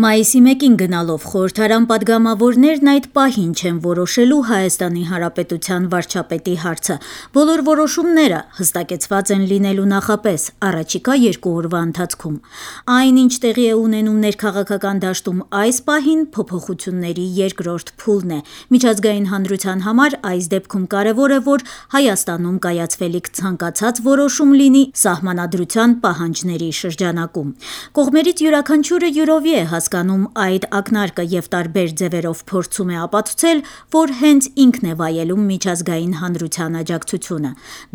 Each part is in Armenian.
Մայիսի 1-ին գնալով խորհրդարան պատգամավորներն այդ պահին չեն որոշելու Հայաստանի Հանրապետության վարչապետի հարցը։ Բոլոր որոշումները հստակեցված են լինելու նախապես առաջիկա 2 օրվա ընթացքում։ Այն, ինչ տեղի է ունենում ներքաղաքական դաշտում այս պահին, փոփոխությունների երկրորդ փուլն է։ Միջազգային հանրության համար այս դեպքում կարևոր է, որ Հայաստանում կայացվելիք ցանկացած որոշում լինի սահմանադրության պահանջների շրջանակում։ Կողմերից յուրաքանչյուրը յուրովի է հասկանում այդ ակնարկը եւ տարբեր ձևերով փորձում է ապացուցել, որ հենց ինքն է վայելում միջազգային հանրության աջակցությունը։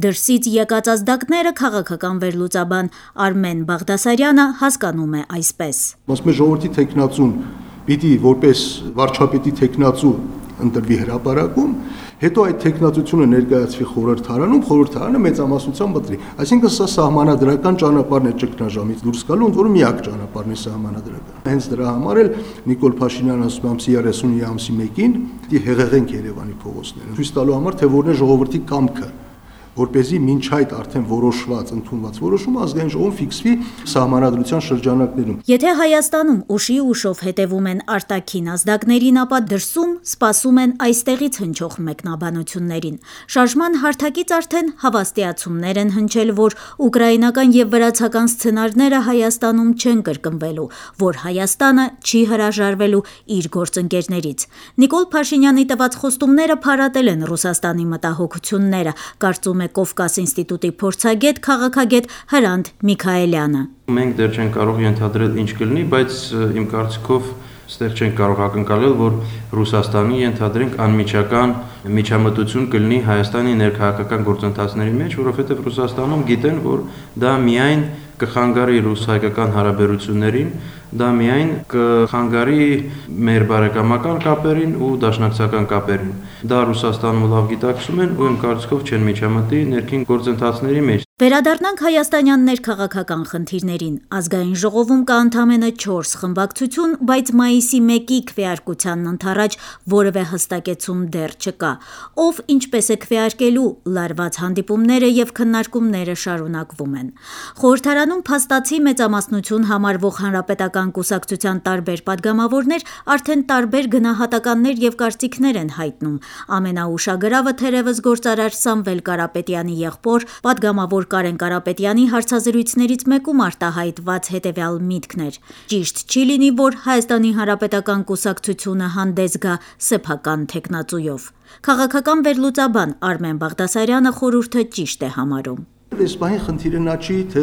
Դրսից եկած ազդակները քաղաքական վերլուծաբան Արմեն Բաղդասարյանը հասկանում է այսպես. Ասում է ժողովրդի թեկնածուն պիտի որպես վարչապետի թեկնածու ընտրվի հրապարակում, հետո այդ թեկնածությունը ներկայացվի խորհրդարանում, խորհրդարանը մեծամասնությամբ ընտրի։ Այսինքն սա սահմանադրական ճանապարհն է ճգնաժամից դուրս գալու, ընդ որում միակ ճանապարհն է սահմանադրական։ Հենց դրա համար էլ Նիկոլ Փաշինյանը ասում է ամսի 30-ի ամսի 1-ին պիտի հեղեղենք Երևանի փողոցները, ցույց տալու համար, թե որն է ժողովրդի կամքը, որպեսզի մինչ այդ արդեն որոշված, ընդունված որոշումը ազգային ժողովում ֆիքսվի սահմանադրության շրջանակներում։ Եթե Հայաստանում ուշի ուշով հետևում են արտաքին ազդակներին, ապա դրսում սպասում են այստեղից հնչող մեկնաբանություններին։ Շարժման հարթակից արդեն հավաստիացումներ են հնչել, որ ուկրաինական եւ վրացական սցենարները Հայաստանում չեն կրկնվելու, որ Հայաստանը չի հրաժարվելու իր գործընկերներից։ Նիկոլ Փաշինյանի տված խոստումները փարատել են Ռուսաստանի մտահոգությունները, կարծում է Կովկաս ինստիտուտի փորձագետ, քաղաքագետ Հրանտ Միքայելյանը։ Մենք դեռ չենք կարող ենթադրել ինչ կլինի, բայց իմ կարծիքով ստեղ չենք կարող ակնկալել, որ Ռուսաստանի ենթադրենք անմիջական միջամտություն կլինի Հայաստանի ներքաղաքական գործընթացների մեջ, որովհետև Ռուսաստանում գիտեն, որ դա միայն կխանգարի ռուս-հայկական հարաբերություններին, դա միայն կխանգարի մեր բարեկամական կապերին ու դաշնակցական կապերին։ Դա Ռուսաստանում լավ գիտակցում են ու իմ կարծիքով չեն միջամտի ներքին գործընթացների մեջ։ Վերադառնանք հայաստանյան ներքաղաքական խնդիրներին։ Ազգային ժողովում կա ընդամենը 4 խմբակցություն, բայց մայիսի 1-ի քվեարկությանն ընդառաջ որևէ հստակեցում դեռ չկա։ Ով ինչպես է քվեարկելու, լարված հանդիպումները եւ քննարկումները շարունակվում են։ Խորհրդարանում փաստացի մեծամասնություն համարվող հանրապետական կուսակցության տարբեր падգամավորներ արդեն տարբեր գնահատականներ եւ կարծիքներ են հայտնում։ Ամենաուշագրավը թերևս գործարար Սամվել Կարապետյանի եղբոր падգամավոր Կարեն Կարապետյանի հարցազրույցներից մեկում արտահայտված հետևյալ միտքն էր. ճիշտ չի լինի, որ Հայաստանի Հանրապետական կուսակցությունը հանդես գա սեփական թեկնածուով։ Քաղաքական վերլուծաբան Արմեն Բաղդասարյանը խորհուրդը ճիշտ է համարում։ Այս բանի խնդիրը նա չի, թե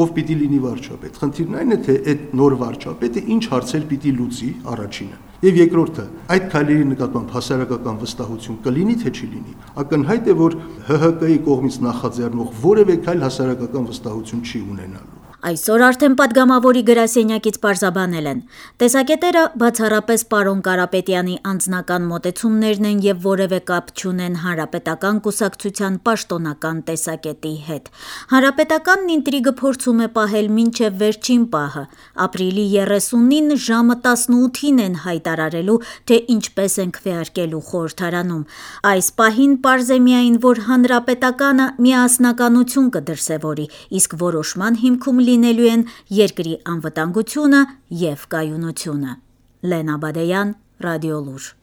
ով պիտի լինի վարչապետ։ Խնդիրն այն է, թե այդ նոր վարչապետը ինչ հարցեր պիտի լուծի առաջինը։ Եվ երկրորդը, այդ քայլերի նկատմամբ հասարակական վստահություն կլինի, թե չի լինի։ Ակնհայտ է, որ ՀՀԿ-ի կողմից նախաձեռնող որևէ քայլ հասարակական վստահություն չի ունենալու։ Այսօր արդեն падգամավորի գրասենյակից պարզաբանել են. տեսակետերը բացառապես պարոն Կարապետյանի անձնական մոտեցումներն են եւ որևէ կապ չունեն հանրապետական կուսակցության պաշտոնական տեսակետի հետ։ Հանրապետականն ինտրիգը փորձում է պահել մինչև վերջին պահը։ Ապրիլի 30-ին ժամը 18-ին են հայտարարելու, թե ինչպես են քվեարկելու խորհրդարանում։ Այս պահին պարզ է միայն, որ հանրապետականը միասնականություն կդրսևորի, իսկ որոշման հիմքում լինելու են երկրի անվտանգությունը և կայունությունը։ Լենա Բադեյան, Ռադիոլուր։